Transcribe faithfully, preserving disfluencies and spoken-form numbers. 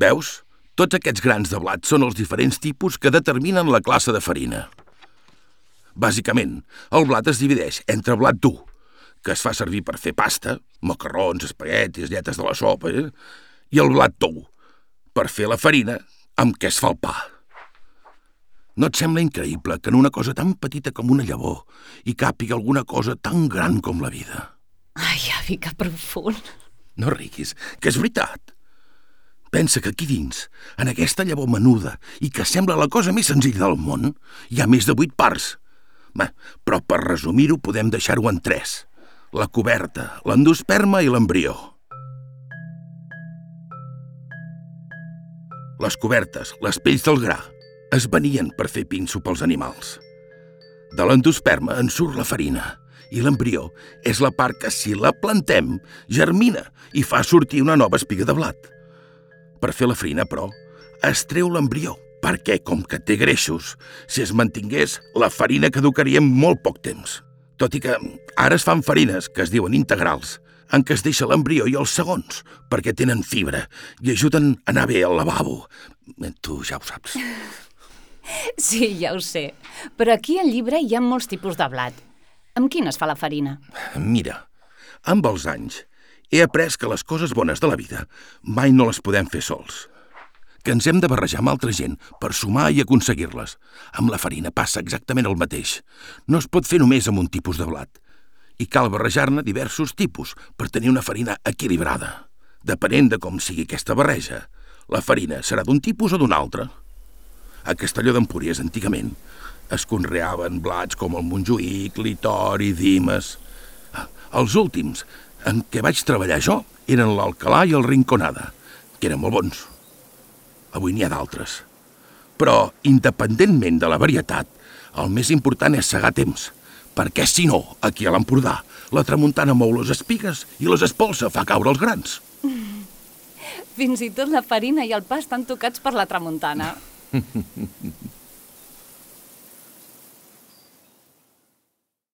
Veus? Tots aquests grans de blat són els diferents tipus que determinen la classe de farina. Bàsicament, el blat es divideix entre blat dur, que es fa servir per fer pasta, macarrons, espaguetis, lletes de la sopa, eh? I el blat tou, per fer la farina amb què es fa el pa. No et sembla increïble que en una cosa tan petita com una llavor hi càpiga alguna cosa tan gran com la vida? Ai, avi, que profund. No riguis, que és veritat. Pensa que aquí dins, en aquesta llavor menuda i que sembla la cosa més senzilla del món, hi ha més de vuit parts. Bé, però per resumir-ho podem deixar-ho en tres. La coberta, l'endosperma i l'embrió. Les cobertes, les pells del gra, es venien per fer pinso pels animals. De l'endosperma en surt la farina i l'embrió és la part que, si la plantem, germina i fa sortir una nova espiga de blat. Per fer la farina, però, es treu l'embrió, perquè, com que té greixos, si es mantingués, la farina caducaria en molt poc temps. Tot i que ara es fan farines, que es diuen integrals, en què es deixa l'embrió i els segons, perquè tenen fibra i ajuden a anar bé al lavabo. Tu ja ho saps. Sí, ja ho sé. Però aquí al llibre hi ha molts tipus de blat. Amb quin es fa la farina? Mira, amb els anys he après que les coses bones de la vida mai no les podem fer sols. Que ens hem de barrejar amb altra gent per sumar i aconseguir-les. Amb la farina passa exactament el mateix. No es pot fer només amb un tipus de blat. I cal barrejar-ne diversos tipus per tenir una farina equilibrada. Depenent de com sigui aquesta barreja, la farina serà d'un tipus o d'un altre. A Castelló d'Empúries, antigament, es conreaven blats com el Montjuïc, l'Itori, Dimes. Els últims en què vaig treballar jo eren l'Alcalà i el Rinconada, que eren molt bons. Avui n'hi ha d'altres. Però, independentment de la varietat, el més important és segar temps, perquè, si no, aquí a l'Empordà, la tramuntana mou les espigues i les espolsa, fa caure els grans. Fins i tot la farina i el pa estan tocats per la tramuntana.